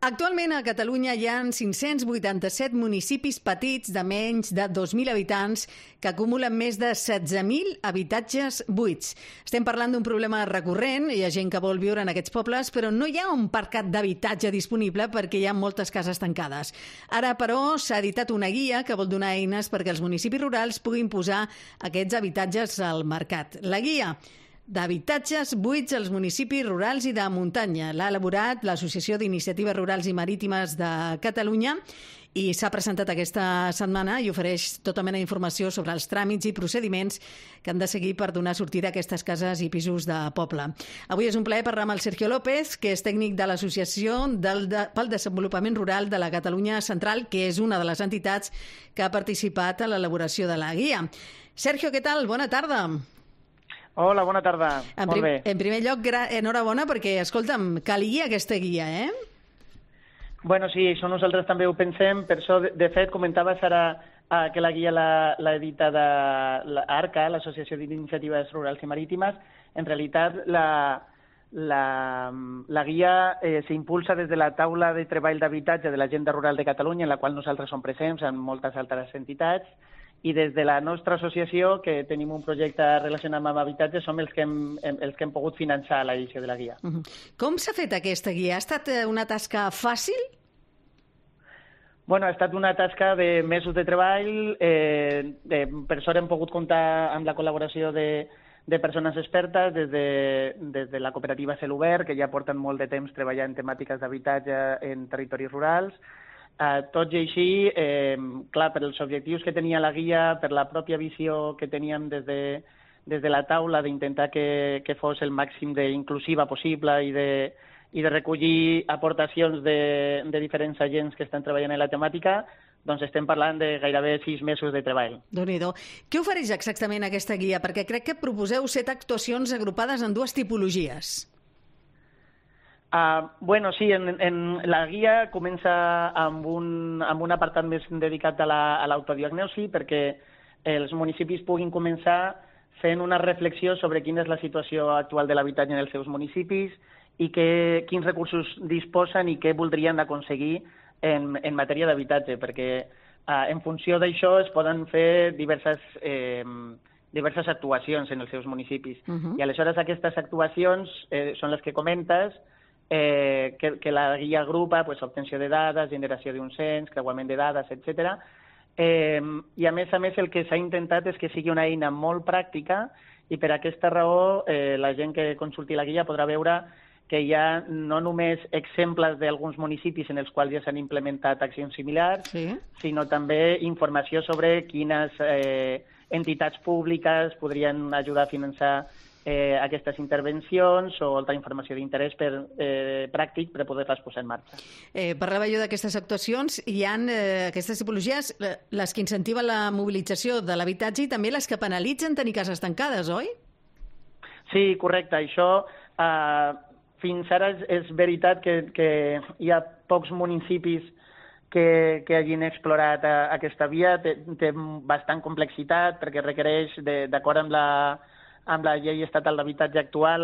Actualment a Catalunya hi ha 587 municipis petits de menys de 2.000 habitants que acumulen més de 16.000 habitatges buits. Estem parlant d'un problema recurrent, hi ha gent que vol viure en aquests pobles, però no hi ha un parcat d'habitatge disponible perquè hi ha moltes cases tancades. Ara, però, s'ha editat una guia que vol donar eines perquè els municipis rurals puguin posar aquests habitatges al mercat. La guia d'habitatges buits als municipis rurals i de muntanya. L'ha elaborat l'Associació d'Iniciatives Rurals i Marítimes de Catalunya i s'ha presentat aquesta setmana i ofereix tota mena d'informació sobre els tràmits i procediments que han de seguir per donar sortida a aquestes cases i pisos de poble. Avui és un plaer parlar amb el Sergio López, que és tècnic de l'Associació pel Desenvolupament Rural de la Catalunya Central, que és una de les entitats que ha participat a l'elaboració de la guia. Sergio, què tal? Bona tarda. Hola, bona tarda. Molt bé. En primer lloc, enhorabona perquè, escolta'm, calia aquesta guia, eh? Bueno, sí, això nosaltres també ho pensem. Per això, de fet, comentaves ara que la guia l'ha editada l'ARCA, l'Associació d'Iniciatives Rurals i Marítimes. En realitat, la guia s'impulsa des de la taula de treball d'habitatge de l'Agenda Rural de Catalunya, en la qual nosaltres som presents amb moltes altres entitats, i des de la nostra associació, que tenim un projecte relacionat amb habitatge, som els que hem pogut finançar l'edició de la guia. Com s'ha fet aquesta guia? Ha estat una tasca fàcil? Bueno, ha estat una tasca de mesos de treball. Per sort hem pogut comptar amb la col·laboració de persones expertes des de la cooperativa Celobert, que ja porten molt de temps treballant en temàtiques d'habitatge en territoris rurals. Tot i així, clar, per els objectius que tenia la guia, per la pròpia visió que teníem des de la taula d'intentar que fos el màxim d'inclusiva possible i de recollir aportacions de diferents agents que estan treballant en la temàtica, doncs estem parlant de gairebé 6 mesos de treball. Déu-n'hi-do. Què ofereix exactament aquesta guia? Perquè crec que proposeu 7 actuacions agrupades en 2 tipologies. Bueno, sí, en la guia comença amb un apartat més dedicat a l'autodiagnosi perquè els municipis puguin començar fent una reflexió sobre quina és la situació actual de l'habitatge en els seus municipis i quins recursos disposen i què voldrien aconseguir en matèria d'habitatge, perquè en funció d'això es poden fer diverses actuacions en els seus municipis. I aleshores aquestes actuacions són les que comentes, que la guia agrupa, obtenció de dades, generació d'un cens, creuament de dades, etc. I a més el que s'ha intentat és que sigui una eina molt pràctica i per aquesta raó la gent que consulti la guia podrà veure que hi ha no només exemples d'alguns municipis en els quals ja s'han implementat accions similars, sinó també informació sobre quines entitats públiques podrien ajudar a finançar aquestes intervencions o altra informació d'interès pràctic per poder-les posar en marxa. Parlava jo d'aquestes actuacions. Hi ha aquestes tipologies, les que incentiven la mobilització de l'habitatge i també les que penalitzen tenir cases tancades, oi? Sí, correcte. Això fins ara és veritat que hi ha pocs municipis que hagin explorat aquesta via. Té bastant complexitat perquè requereix, d'acord amb la llei estatal d'habitatge actual,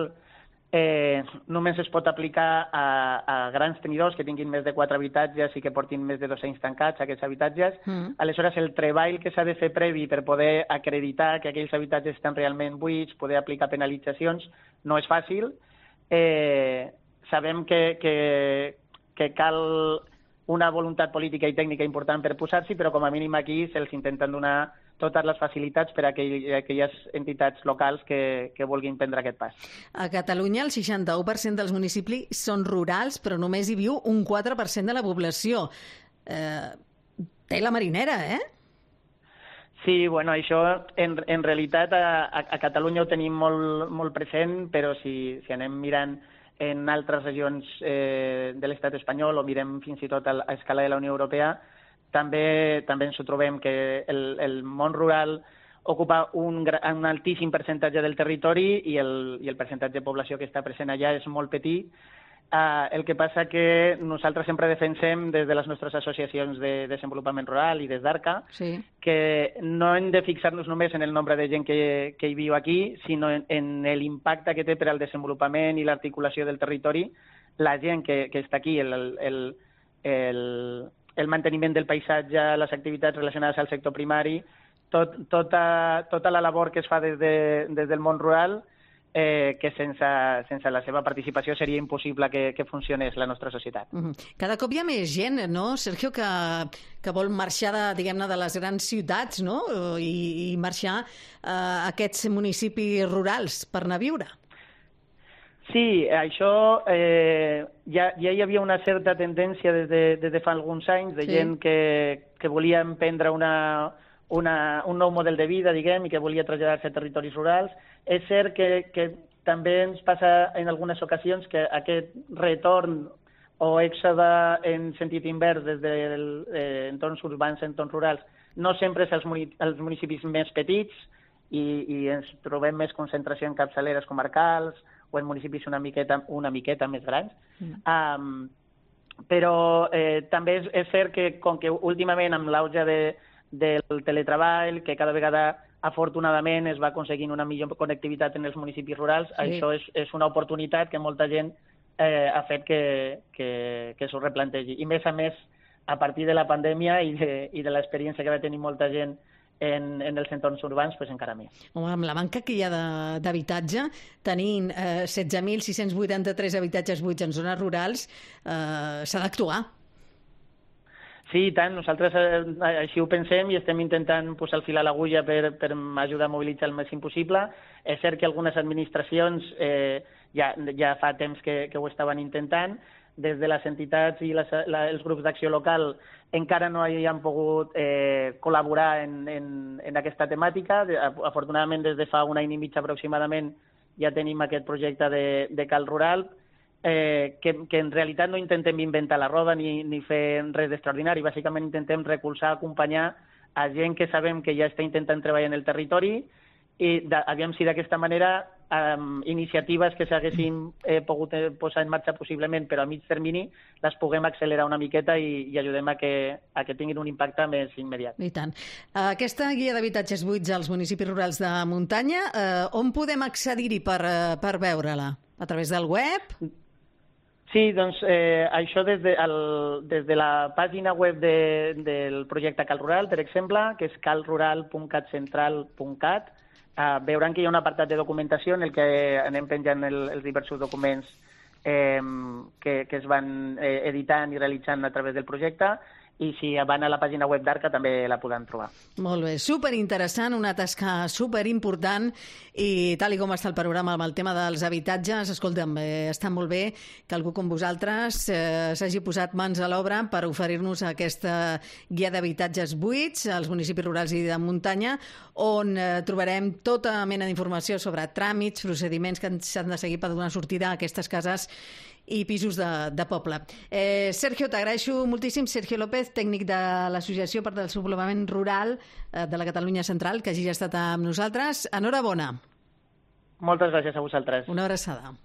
només es pot aplicar a grans tenidors que tinguin més de 4 habitatges i que portin més de 2 anys tancats aquests habitatges. Aleshores, el treball que s'ha de fer previ per poder acreditar que aquells habitatges estan realment buits, poder aplicar penalitzacions, no és fàcil. Sabem que cal una voluntat política i tècnica important per posar-s'hi, però com a mínim aquí se'ls intenten donar totes les facilitats per a aquelles entitats locals que vulguin prendre aquest pas. A Catalunya el 61% dels municipis són rurals, però només hi viu un 4% de la població. Té la marinera, eh? Sí, bueno, això en realitat a Catalunya ho tenim molt present, però si anem mirant en altres regions de l'estat espanyol o mirem fins i tot a escala de la Unió Europea, també ens ho trobem que el món rural ocupa un altíssim percentatge del territori i el percentatge de població que està present allà és molt petit. El que passa que nosaltres sempre defensem des de les nostres associacions de desenvolupament rural i des d'ARCA que no hem de fixar-nos només en el nombre de gent que hi viu aquí, sinó en l'impacte que té per al desenvolupament i l'articulació del territori la gent que està aquí, el manteniment del paisatge, les activitats relacionades al sector primari, tota la labor que es fa des del món rural, que sense la seva participació seria impossible que funcionés la nostra societat. Cada cop hi ha més gent, no, Sergio, que vol marxar diguem-ne, de les grans ciutats, no? I marxar a aquests municipis rurals per anar a viure. Sí, això ja hi havia una certa tendència des de fa alguns anys de gent que volia emprendre un nou model de vida, diguem, i que volia traslladar-se a territoris rurals. És cert que també ens passa en algunes ocasions que aquest retorn o èxode en sentit invers des d'entorns urbans a entorns rurals no sempre és als municipis més petits i ens trobem més concentració en capçaleres comarcals o en municipis una miqueta més grans. Però també és cert que com que últimament amb l'auge del teletreball, que cada vegada afortunadament es va aconseguint una millor connectivitat en els municipis rurals, això és una oportunitat que molta gent ha fet que s'ho replantegi. I més a més, a partir de la pandèmia i de l'experiència que va tenir molta gent en els entorns urbans, doncs encara més. Home, amb la manca que hi ha d'habitatge, tenint 16.683 habitatges buits en zones rurals, s'ha d'actuar. Sí, i tant. Nosaltres així ho pensem i estem intentant posar el fil a l'agulla per ajudar a mobilitzar el màxim possible. És cert que algunes administracions ja fa temps que ho estaven intentant. Des de les entitats i els grups d'acció local encara no hi han pogut col·laborar en aquesta temàtica. Afortunadament, des de fa un any i mig aproximadament ja tenim aquest projecte de Cal Rural, que en realitat no intentem inventar la roda ni fer res d'extraordinari. Bàsicament intentem recolzar, acompanyar a gent que sabem que ja està intentant treballar en el territori i aviam si d'aquesta manera iniciatives que s'haguessin pogut posar en marxa possiblement però a mig termini les puguem accelerar una miqueta i ajudem a que tinguin un impacte més immediat. I tant. Aquesta guia d'habitatges buits als municipis rurals de muntanya, on podem accedir-hi per veure-la? A través del web? Sí, doncs això des de la pàgina web del projecte Cal Rural, per exemple, que és calrural.catcentral.cat, veuran que hi ha un apartat de documentació en el que anem penjant els diversos documents que es van editant i realitzant a través del projecte, i si van a la pàgina web d'Arca també la podran trobar. Molt bé, superinteressant, una tasca superimportant, i tal com està el panorama amb el tema dels habitatges, escolta'm, està molt bé que algú com vosaltres s'hagi posat mans a l'obra per oferir-nos aquesta guia d'habitatges buits als municipis rurals i de muntanya, on trobarem tota mena d'informació sobre tràmits, procediments que s'han de seguir per donar sortida a aquestes cases i pisos de poble. Sergio, t'agraeixo moltíssim. Sergio López, tècnic de l'Associació per al Desenvolupament Rural de la Catalunya Central, que hagi estat amb nosaltres. Enhorabona. Moltes gràcies a vosaltres. Una abraçada.